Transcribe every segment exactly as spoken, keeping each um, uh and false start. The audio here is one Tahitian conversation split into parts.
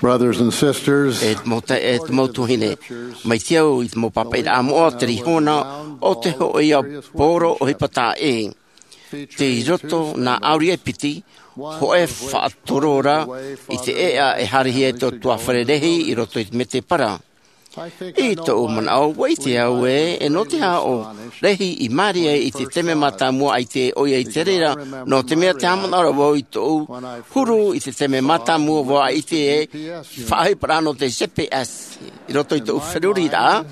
Brothers and sisters, e te mau taeaʻe, e te mau tuahine, mai te au i te mau pāpaʻiraʻa moʻa, terā iho ā, ʻo te hōʻē ia poro ʻohipa taʻa ʻē. Tei roto nā ʻāuri e piti, hōʻē faʻatorora i te ʻēʻa e haerehia e tō tuafare rahi i roto i te mētēpara. I tōʻu manaʻo, ʻua ʻite au ē, e nō te aha ʻo Lehi i māere ai i te taime mātāmua ʻaita ʻoia i te reira, nō te mea tē haʻamanaʻo ra vau i tōʻu huru i te taime mātāmua vau ʻaita e faʻaʻohipa ra nō te G P S i roto i tōʻu feruriraʻa,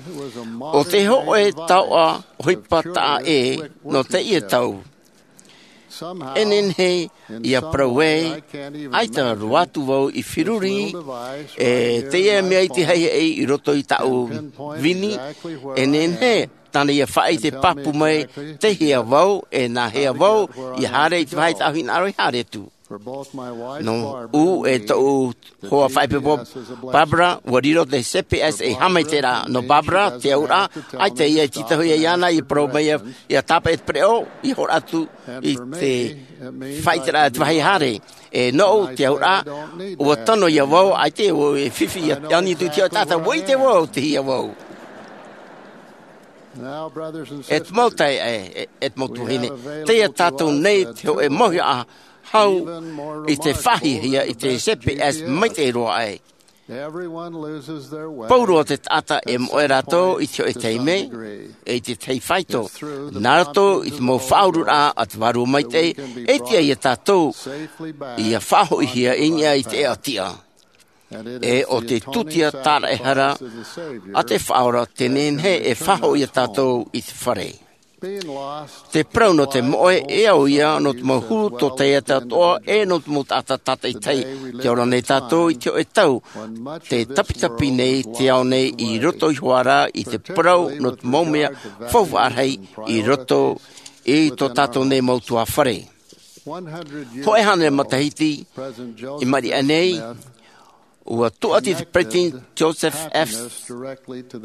ʻo te hōʻē taoʻa ʻohipa taʻa ʻē nō teie tau. E nehenehe ʻia parau ē, ʻaita roa atu vau i feruri, e teie mea i te haʻehaʻa i roto i tāʻu vini, e nehenehe tāna ʻia faʻaʻite pāpū mai, tei hea vau, e nā hea vau ʻia haere i te vāhi tāʻu hinaʻaro i haere atu. Nō ʻu e tōʻu hoa faʻaipoipo, Barbara, ʻua riro te G P S ei haʻamaitaʻiraʻa. Nō Barbara, te auraʻa, ʻaita ʻoia e tītauhia iāna, ʻia parau mai ʻia, ʻia tāpaʻo i te pereʻoʻo, ʻia hōroʻa atu i te faʻaʻiteraʻa te vāhi haere. E nō ʻu te auraʻa, ʻua tono ia vau, ʻaita e fifi ʻia ani atu i te taʻata, ʻua ʻite vau, tei hea vau. E te mau taeaʻe, e, e te mau tuahine, tei ia tātou nei te hōʻē mauhaʻa hau i te faʻahiahia i te G P S maitaʻi roa aʻe. Pauroa te taʻata e moʻe rātou i te hōʻē taime, e i te tahi faito. Nā roto i te mau faʻaururaʻa a te Vārua Maitaʻi, e tiʻa ia tātou ʻia faʻahoʻihia i niʻa i te ʻēʻa tiʻa. E ʻo te tūtia tāraʻehara a te Faʻaora tē nehenehe e faʻahoʻi ia tātou i te fare. Te parau nō te moʻe, e au ia nō te mau huru tōtaiete atoʻa, e nō te mau taʻata tātaʻitahi. Tē ora nei tātou i te hōʻē tau, tē tapitapi nei te ao nei i roto iho ā rā i te parau nō te mau mea faufaʻa rahi i roto i tō tātou nei mau tuāfare. Hōʻē hānere matahiti i maʻiri aʻe nei, ʻua tūʻati te Peresideni Joseph F.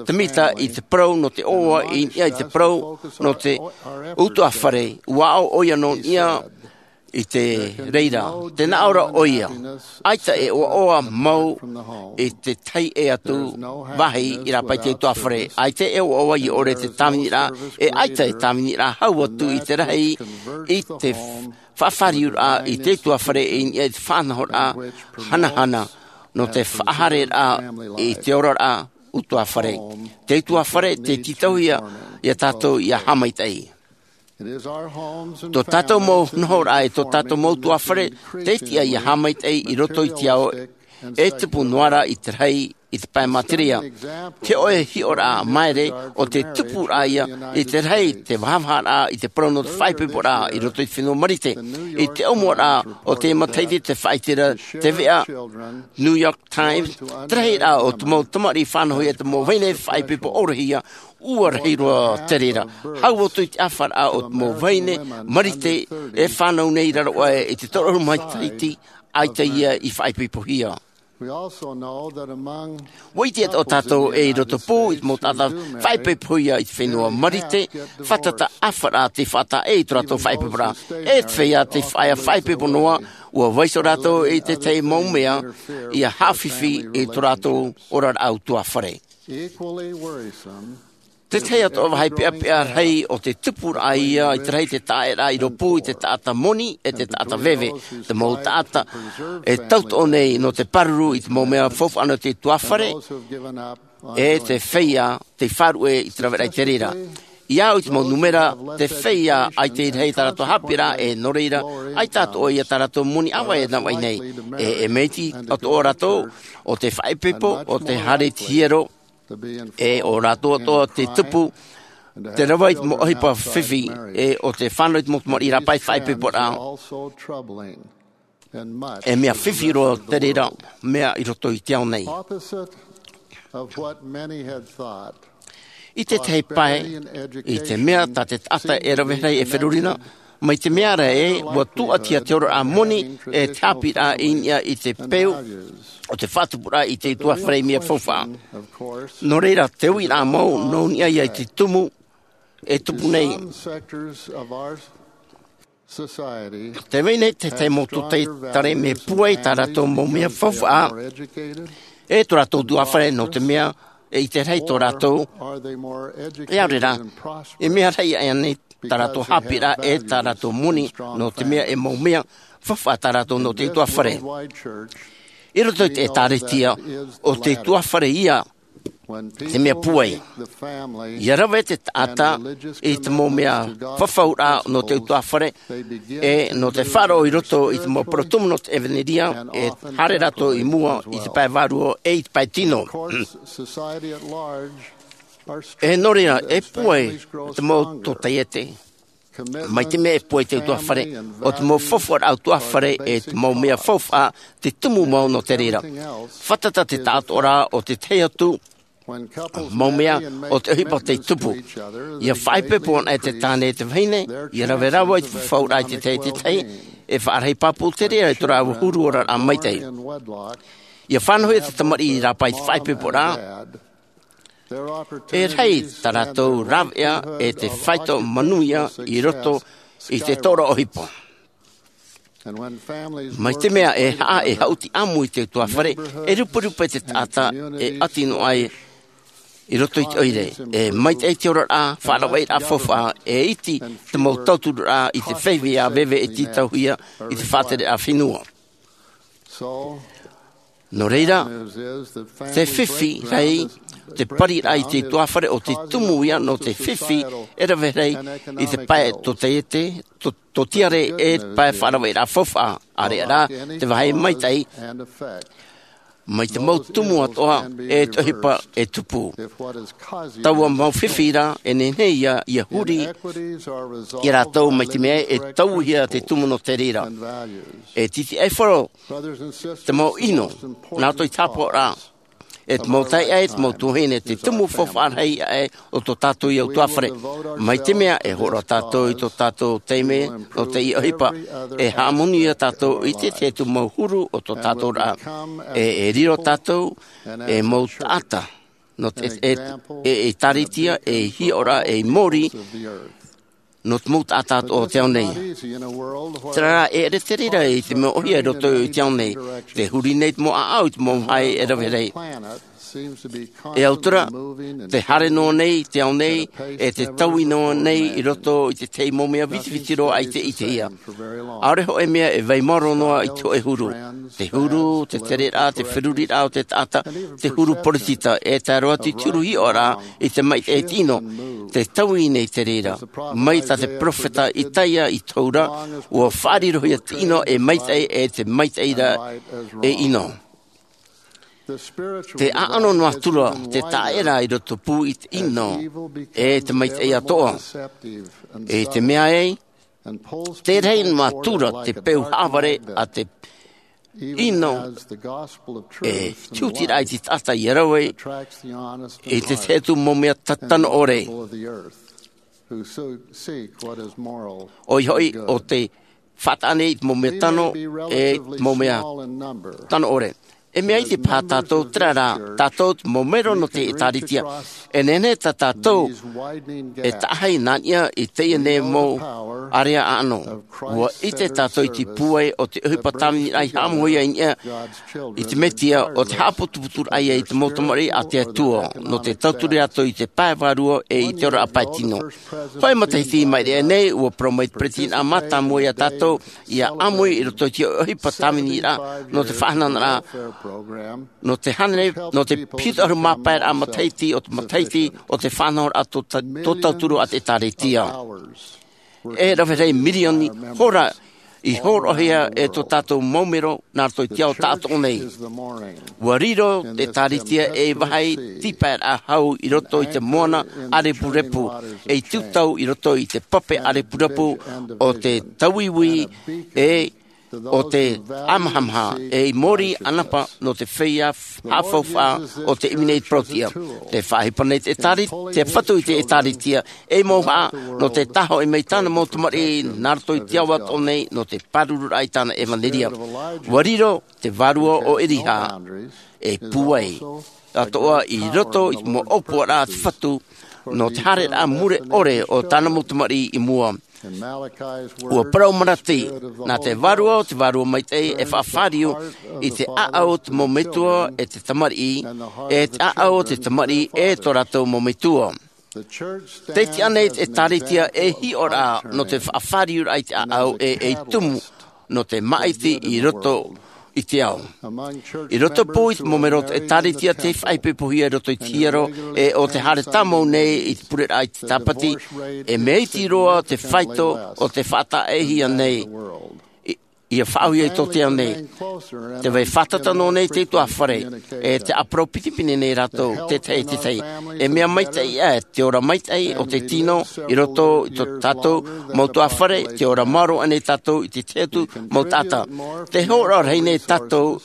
Smith i te parau nō te ʻoaʻoa i niʻa i te parau nō te ʻutuāfare, ʻua aʻo ʻoia nō niʻa i te reira. Tē nā ʻō ra ʻoia, ʻaita e ʻoaʻoa mau i te tahi atu vāhi i rāpae i te ʻutuāfare. ʻAita e ʻoaʻoa ʻia ʻore te tāviniraʻa, e ʻaita e tāviniraʻa hau atu i te rahi i te faʻafāriuraʻa i te ʻutuāfare i niʻa i te faʻanahoraʻa hanahana nō te faʻahaereraʻa i te oraraʻa ʻutuāfare. Te ʻutuāfare, tē tītauhia ia tātou ʻia haʻamaitaʻi. Tō tātou mau nohoraʻa e tō tātou mau ʻutuāfare, tē tiʻa ʻia haʻamaitaʻi i roto i te ao e tupu noa ra i te rahi i te pae materia. Te hōʻē hiʻoraʻa māere ʻo te tupuraʻa ia i te rahi te vahavaharaʻa i te parau nō te faʻaipoiporaʻa i roto i te fenua Marite. I te ʻōmuaraʻa o te matahiti tē faʻaʻite ra te veʻa New York Times, te rahiraʻa o te mau tamariʻi fānauhia, te mau vahine faʻaipoipo ʻōrahia, ʻua rahi roa te reira. Hau atu i te ʻāfaraʻa o te mau vahine Marite e fānau nei i raro aʻe i te toru ʻahuru matahiti, ʻaita ia i faʻaipoipohia. ʻUa ʻite atoʻa tātou ē i roto pū i te mau taʻata faʻaipoipohia i te fenua Marite, fātata ʻāfaraʻa tei faʻataʻa i tō rātou faʻaipoiporaʻa. E te feiā tei faʻa-, faʻaipoipo noa, ʻua vaiiho rātou i te tahi mau mea ʻia haʻafifi i tō rātou oraraʻa ʻutuāfare. Te tahi atoʻa vāhi peʻapeʻa rahi ʻo te tupuraʻa ia i te rahi te taʻaʻēraʻa i rōpū i te taʻata moni e te taʻata veve, te mau taʻata e tauturu nei nō te pāruru i te mau mea faufaʻa nō te ʻutuāfare, e te feiā tei faʻaruʻe i te raveraʻa i te reira. ʻIa au i te mau nūmera, te feiā ʻaita i rahi tā rātou haʻapiʻiraʻa, e nō reira, ʻaita atoʻa ia tā rātou moni ʻāvaʻe e navaʻi nei. E, e mea iti atoʻa rātou, ʻo te faʻaipoipo, ʻo te haere i te hiero, e ʻo rātou atoʻa te tupu, te rave i te mau ʻohipa fifi, e ʻo te fānau i te mau tamariʻi rāpae i te faʻaipoiporaʻa. E mea fifi roa te reira mea i roto i te ao nei. I te tahi pae, i te mea tā te taʻata e rave rahi e feruri na, mai te mea ra ē, ʻua tūʻatihia te oraraʻa moni e te haʻapiʻiraʻa i niʻa i te peu o te faʻatupuraʻa i te ʻutuāfare i mea faufaʻa. Nō reira, te uiraʻa mau, nō niʻa ia i te tumu, e tupu nei. Te vai nei te tahi mau tōtaiete mea pūai tā rātou mau mea faufaʻa e tō rātou tuafare, nō te mea e ʻite rahi tō rātou, e ʻaore rā, e mea rahi ʻaʻe nei tā rātou haʻapiʻiraʻa e tā rātou moni, nō te mea e mau mea faufaʻa tā rātou nō te tuafare. I roto i te ʻēkālesia, ʻo te tuafare ia te mea pūai. ʻIa rave te taʻata i te mau mea fafauraʻa nō te tuafare, e nō te faʻaroʻo i roto i te mau parau tumu nō te ʻevanelia, e haere rātou i mua i te pae vārua e i te pae tino. E nō reira, e pūai te mau tōtaiete. Mai te mea e pūai te tuafare, ʻo te mau faufaʻaraʻa tuafare e te mau mea faufaʻa te tumu mau nō te reira. Fātata te taʻatoʻaraʻa o te tahi atu mau mea o te ʻohipa tei tupu. ʻIa faʻaipoipo anaʻe te tāne e te vahine, ʻia rave rāua i te fafauraʻa i te tahi e te tahi, e faʻarahi pāpū te reira i tō rāua huru oraraʻa maitaʻi. ʻIa fānauhia te tamariʻi i rāpae i te faʻaipoiporaʻa. E rahi tā rātou rāveʻa e te faito manuia i roto i te tōroʻa ʻohipa. Mai te mea e haʻa e haʻuti ʻāmui i te tuafare, e ruperupe te taʻata e ʻati noa ai i roto i te ʻoire. E maitaʻi te oraraʻa, faʻaravaʻiraʻa faufaʻa, e iti te mau tauturuʻraʻa i te feiā veve e tītauhia i te faʻatereraʻa fenua. Nō reira, te fifi rahi, te pariraʻa i te tuafare ʻo te tumu ia nō te fifi e rave rahi i te pae tōtaiete, tō, tōtiare e te pae faʻaravaʻiraʻa faufaʻa, ʻāreʻa rā te vāhi maitaʻi, mai te mau tumu atoʻa e te ʻohipa e tupu. Taua mau fifi rā, e nehenehe ia, ʻia huri ia rātou mai te mea e tauihia te tumu nō te reira. E tītiʻaifaro te mau ʻino, nā roto i te haʻapaʻoraʻa, e te mau taeaʻe, e te mau tuahine, te tumu faufaʻa rahi aʻe o tō tātou ia tuafare. Mai te mea e hōroʻa tātou i tō tātou taime nō teie ʻohipa, e haʻamoni ia tātou i te tahi atu mau huru o tō tātou raʻa. E, e riro tātou ei mau taʻata nō te, e, e, e ʻēkālesia, ei hiʻoraʻa, ei mōrī nō te mau taʻata o te ao nei. Terā rā, e ʻere te reira i te mea ʻōhie i roto i te ao nei. Te huri nei te mau ʻāʻau i te mau vāhi e rave rahi. E au terā, te haere noa nei te ao nei, e te taui noa nei i roto i te tahi mau mea vitiviti roa ʻaita i ʻitehia. ʻAore hōʻē mea e vai maoro noa i te hōʻē huru. Te huru, te tereraʻa, te feruriraʻa o te taʻata, te huru poritita, e tae roa atu i te huru hiʻoraʻa i te maitaʻi e te ʻino. Te taui nei te reira. Mai tā te peropheta Isaia i tohu ra, ʻua faʻarirohia te ʻino e maitaʻi, e te maitaʻi ra e ʻino. Te ʻāʻano noa atu ra, te taʻata i roto pū i te ʻino, e te maitaʻi atoʻa. E te mea ē, te rahi noa atu ra te peu haʻavare a te ʻino, e te hutiraʻa i te taʻata ʻia rave i te tahi atu mau mea ta-, tano ʻore. ʻOia hoʻi, ʻo te faʻataʻa nei i te mau mea tano, e te mau mea tano ʻore. E mea iti paha tātou, terā rā, tātou te mau mero nō te ʻēkālesia. E nehenehe tā tātou e taʻahi nā niʻa i teie nei mau ārea ʻāʻano. ʻUa ʻite tātou i te pūai o te ʻohipa tāviniraʻa i haʻamauhia i niʻa i te Mesia, ʻo te haʻaputuputuraʻa ia i te mau tamariʻi a te Atua, nō te tauturu atu i te pae vārua e i te oraraʻa pae tino. Hōʻē matahiti i maʻiri aʻe nei, ʻua parau mai te peretiteni mātāmua ia tātou, ʻia ʻāmui i roto i te ʻohipa tāviniraʻa, nō te faʻahanahana, nō te hānere, nō te piti ʻahuru mā pae raʻa matahiti o te matahiti o te faʻanahoraʻa tō ta-, tō tauturu a te ʻēkālesia. E rave rahi mirioni hora i hōroʻahia e tō tātou mau mero nā roto i te ao taʻatoʻa nei. ʻUa riro te ʻēkālesia ei vāhi tīpaeraʻa hau i roto i te moana ʻārepurepu, ei tūtau i roto i te pape ʻārepurepu o te tauiui, e ʻo te ʻāmahamaha, ei mōrī ʻanapa nō te feiā haʻafaufaʻa o te ʻimi nei i te parau-tiʻa. Tē faʻaʻohipa nei te ʻēkāle-, te Fatu i te ʻēkālesia, ei mauhaʻa nō te tāhoʻi mai tāna mau tamariʻi nā roto i te ao atoʻa nei nō te pārururaʻa i tāna ʻevanelia. ʻUa riro te vārua o Erihā, e pūai atoʻa i roto i te mau ʻōpuaraʻa a te Fatu, nō te haereraʻa mure ʻore o tāna mau tamariʻi i mua. Ua parau Malaki, nā te Vārua o te Vārua Maitaʻi e faʻafāriu i te ʻāʻau o te mau metua e te tamariʻi, e te ʻāʻau o te tamariʻi e tō rātou mau metua. Tē tiʻa nei te ʻĒkālesia ei hiʻoraʻa nō te faʻafāriuraʻa i te ʻāʻau e ei tumu nō te māʻiti i roto i te ao. I roto pū i te mau melo o te ʻĒkālesia tei faʻaipoipohia i roto i te hiero, e ʻo te haere tāmau nei i te pureraʻa i te Tāpati, e mea iti roa te faito o te faʻataʻahia nei, i, ʻia faʻaʻauhia i tō te ao nei. Tē vai fātata noa nei te utuāfare, e tē ʻāparau pinepine nei rātou, tētahi e tētahi. E mea maitaʻi ʻē te ora maitaʻi o te tino i roto i tō tātou mau utuāfare, tē ora maoro aʻe nei tātou i te tahi atu mau taʻata. Tē hōroʻa rahi nei tātou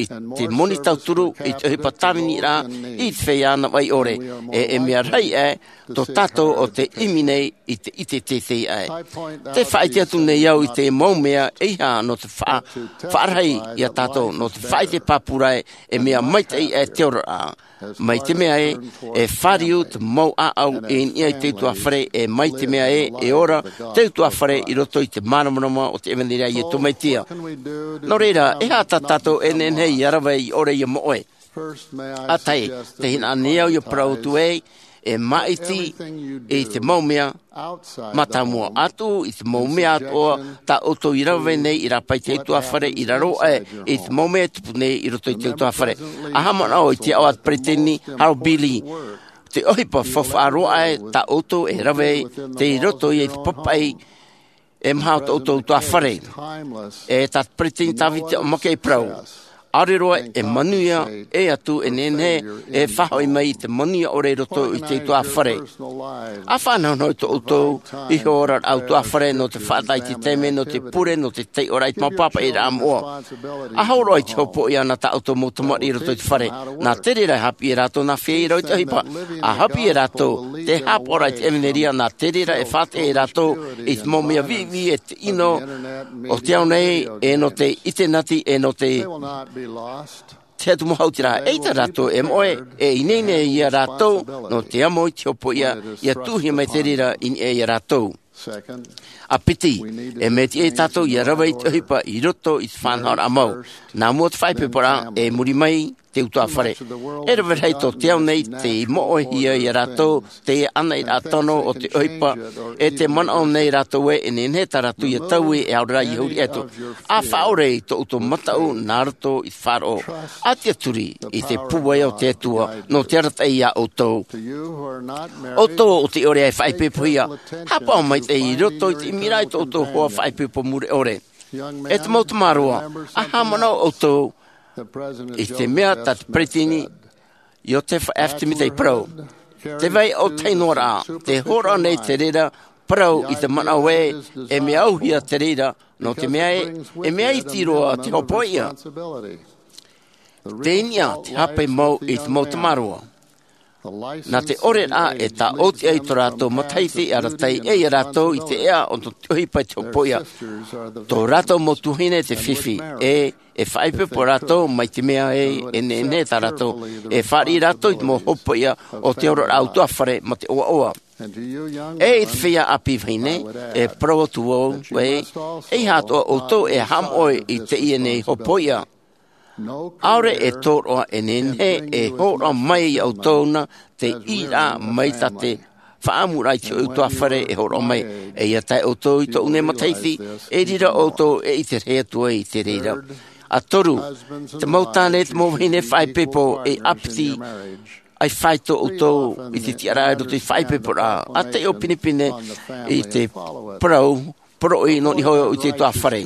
i te moni tauturu, i te ʻohipa tāviniraʻa, i te feiā navaʻi ʻore, e, e mea rahi ʻē tō tātou ʻo tē ʻimi nei i te ʻite teitei aʻe. Tē faʻaʻite atu nei au i te mau mea ʻeiaha nō te faʻa-, faʻarahi ia tātou, nō te faʻaʻite pāpū ra ē, e mea maitaʻi ʻē te oraraʻa. Mai te mea ē, e fāriu te mau ʻāʻau i niʻa i te utuāfare, e mai te mea ē, e ora te utuāfare i roto i te māramarama o te ʻevanelia a Iesu Mesia. Nō reira, e aha tā tātou e nehenehe ʻia rave ʻia ʻore ʻia moʻe? ʻA tahi, tē hinaʻaro nei au ʻia parau atu ē, e māʻiti i te mau mea mātāmua atu, i te mau mea atoʻa tā ʻoutou i rave nei i rāpae i te utuāfare, i raro aʻe i te mau mea e tupu nei i roto i te utuāfare. ʻA haʻamanaʻo i te aʻo a te peresideni Harold B. Lee, te ʻohipa faufaʻa roa aʻe tā ʻoutou e rave, tei roto ia i te papaʻi e maha o tō ʻoutou utuāfare. E tā te peresideni Tavita Mackay e parau, ʻaore roa e manuia ʻē atu e nehenehe e faʻahoʻi mai i te manuia ʻore i roto i te utuāfare. ʻA faʻanahonaho i tō ʻoutou ihoraʻa utuāfare nō te faʻataʻa i te taime, nō te pure, nō te taiʻoraʻa i te mau pāpaʻiraʻa moʻa. ʻA hōroʻa i te hopoiʻa nā tā ʻoutou mau tamariʻi i roto i te fare. Nā te reira e haʻapiʻi ia rātou nā feiā rau i te ʻohipa. ʻA haʻapiʻi ia rātou te haʻapaʻoraʻa i te ʻevanelia, nā te reira e faʻataʻa ia rātou i te mau mea viʻiviʻi e te ʻino o te ao nei, e nō te ʻitenati, e nō te, te atu mau hautiraʻa. ʻEita rātou e moʻe, e ineine ia rātou nō te amo i te hopoiʻa ʻia tuʻuhia mai te reira i niʻa ia rātou. ʻA piti, e mea tiʻa ia tātou ʻia rave i te ʻohipa i roto i te faʻanahoraʻa mau. Nā mua te faʻaipoiporaʻa, e muri mai te utuāfare. E rave rahi tō te ao nei tei moʻehia ia rātou, teie anairaʻa tano o te ʻohipa, e tē manaʻo nei rātou ē, e nehenehe tā rātou ʻia taui e ʻaore rā ʻia huri atu. ʻA faʻaʻore i tō ʻoutou mataʻu nā roto i te faʻaroʻo. ʻA tiʻaturi i te pūai o te Atua, nō te arataʻi ia ʻoutou. ʻOutou ʻo tē ʻore ʻia faʻaipoipohia, haʻapaʻo maitaʻi i roto i te ʻimiraʻa i tō ʻoutou hoa faʻaipoipo mure ʻore. E te mau tamaroa, ʻa haʻamanaʻo ʻoutou i te mea tā te peresideni Iosepha F. Smith i parau. Tē vai ʻōtahi noa ra, tē hōroʻa nei te reira parau i te manaʻo ē, e mea auhia te reira, nō te mea ē, e mea iti roa te hopoiʻa. Tei niʻa te hape mau i te mau tamaroa. Nā te ʻoreraʻa e tāʻōtiʻa i tō rātou matahiti e arataʻi ʻē ia rātou i te ʻea o te ʻohipa i te hopoiʻa. Tō rātou mau tuahine te fifi, e, e faʻaipoipo rātou mai te mea ē, e nehenehe tā rātou, e fāriʻi rātou i te mau hopoiʻa o te oraraʻa utuāfare mā te ʻoaʻoa. E i te feiā ʻāpī vahine, e parau atu vau ē, ʻeiaha atoʻa ʻoutou e haʻamoʻe i teie nei hopoiʻa. ʻAore e tōroʻa e nehenehe e hōroʻa mai ia ʻoutou na te ʻīraʻa mai tā te faʻaʻamuraʻa i te hōʻē utuāfare e hōroʻa mai. E ʻia tae ʻoutou i tōʻu nei matahiti, e riro ʻoutou e ʻite rahi atu ai i te reira. ʻA toru, te mau tāne, te mau vahine faʻaipoipo e ʻāpiti, ʻia fāito ʻoutou i te tiʻaraʻa i roto i te faʻaipoiporaʻa. ʻA taiʻo pinepine i te parau, poroʻi nō niʻa iho i te utuāfare.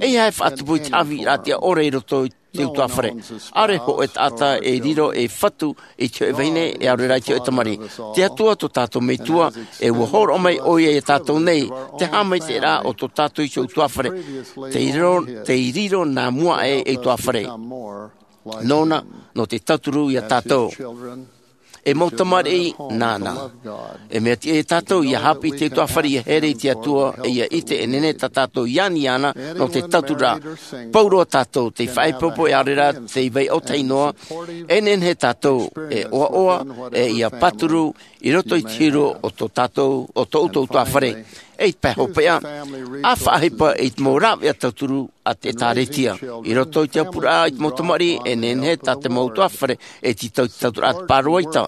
ʻEiaha e faʻatupu i te haʻavīraʻa tiʻa ʻore i roto i te utuāfare. ʻAore hōʻē taʻata e riro ei fatu i te hōʻē vahine, e ʻaore rā i te hōʻē tamariʻi. Te Atua tō tātou Metua, e ʻua hōroʻa mai ʻoia ia tātou nei, te haʻamaitaʻiraʻa o tō tātou iho utuāfare. Tei riro, tei riro nā mua aʻe ei utuāfare. Nōna, nō te tauturu ia tātou. E mau tamariʻi, nāna. E mea tiʻa ia tātou ʻia haʻapiʻi i te utuāfare, ʻia here i te Atua, e ʻia ʻite e nehenehe tā tātou i ani iāna nō te tauturu ra. Pauroa tātou, tei faʻaipoipo e ʻaore rā tei vai ʻōtahi noa, e nehenehe tātou e ʻoaʻoa, e ʻia pāturu i roto i te huru o tō tātou, o tō ʻoutou utuāfare. e i te pae hopeʻa, a faʻaʻohipa i te mau rāveʻa tauturu a te ʻĒtārētia. I roto i te ʻāpuraʻa i te mau tamariʻi, e nehenehe tā te mau ʻutuāfare e tītau i te tauturu a te pāroita.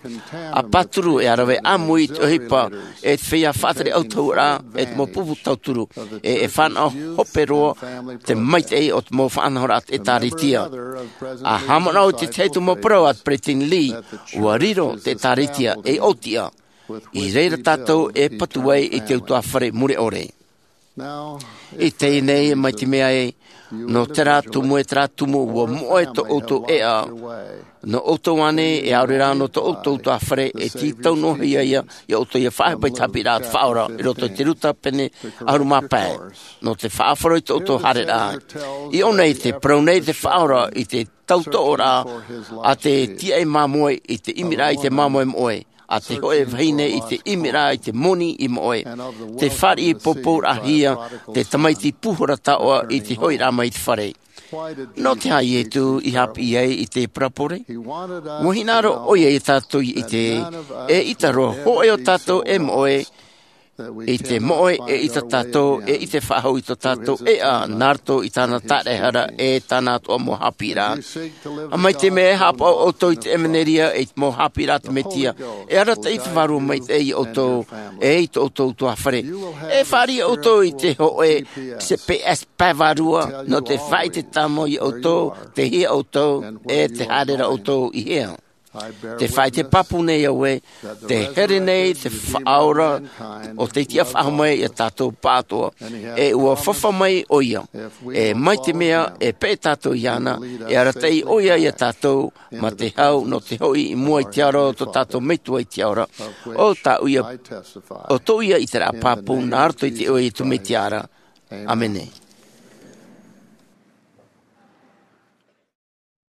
A pāturu e ʻāraʻe ʻāmui i te ʻohipa, e te feiā faʻatere ʻautahuʻaraʻa, e te mau pupu tauturu, e, e fānaʻo hope roa te maitaʻi o te mau faʻanahoraʻa a te ʻĒtārētia. A haʻamanaʻo i te tahi atu mau parau a te Peresideni Lee, ʻua riro te ʻĒtārētia ei ʻōtiʻa. I reira tātou e patu ai i te ʻutuāfare mure ʻore. I teie nei, mai te mea ē, nō terā tumu e terā tumu ʻua moʻe tō ʻoutou ʻēʻa. Nō ʻoutou ānei, e ʻaore rā nō tō ʻoutou ʻutuāfare, e tītau noa hia ia, ia ʻoutou ia faʻaʻohipa i te haʻapiʻiraʻa a te Faʻaora, i roto i te Ruta pene ʻahuru mā pae. Nō te faʻaʻohipa i tō ʻoutou haereraʻa. I ʻō nei tē parau nei te Faʻaora i te tautoʻoraʻa a te tīaʻi māmoe i te ʻimiraʻa i te māmoe moʻe, a te hōʻē vahine i te ʻimiraʻa i te moni i moʻe. Tē fāriʻi pōpouraʻahia te tamaiti pūhora taoʻa i te hoʻiraʻa mai i te fare. Nō te aha Iesu i haʻapiʻi ai i te parabole? ʻUa hinaʻaro ʻoia ia tātou i ʻite, eʻita roa hōʻē o tātou e moʻe, i te moʻe eʻita tātou, e ʻite faʻahou i tō tātou ʻēʻa, nā roto i tāna taraehara, e tāna atoʻa mau haʻapiʻiraʻa. A mai te mea e haʻapaʻo ʻoutou i te ʻevanelia, i te mau haʻapiʻiraʻa a te Mesia, e arataʻi te Vārua Maitaʻi ia ʻoutou, e i tō ʻoutou ʻutuāfare. E fāriʻi ʻoutou i te hōʻē G P S pae vārua, nō te faʻaʻite tāmau ia ʻoutou, tei hea ʻoutou, e tē haere ra ʻoutou i hea. Te faʻaʻite pāpū nei au ē, tē here nei te Faʻaora o tei tiʻa faʻahou mai ia tātou pāʻatoʻa, e ʻua fāfā mai ʻoia, e mai te mea e peʻe tātou iāna, e arataʻi ʻoia ia tātou, mā te hau nō te hoʻi i mua i te aro o tō tātou Metua i te Ao ra, ʻo tāʻu ia, ʻo tōʻu ia ʻiteraʻa pāpū, nā roto i te iʻoa o Iesu Mesia ra. ʻĀmene.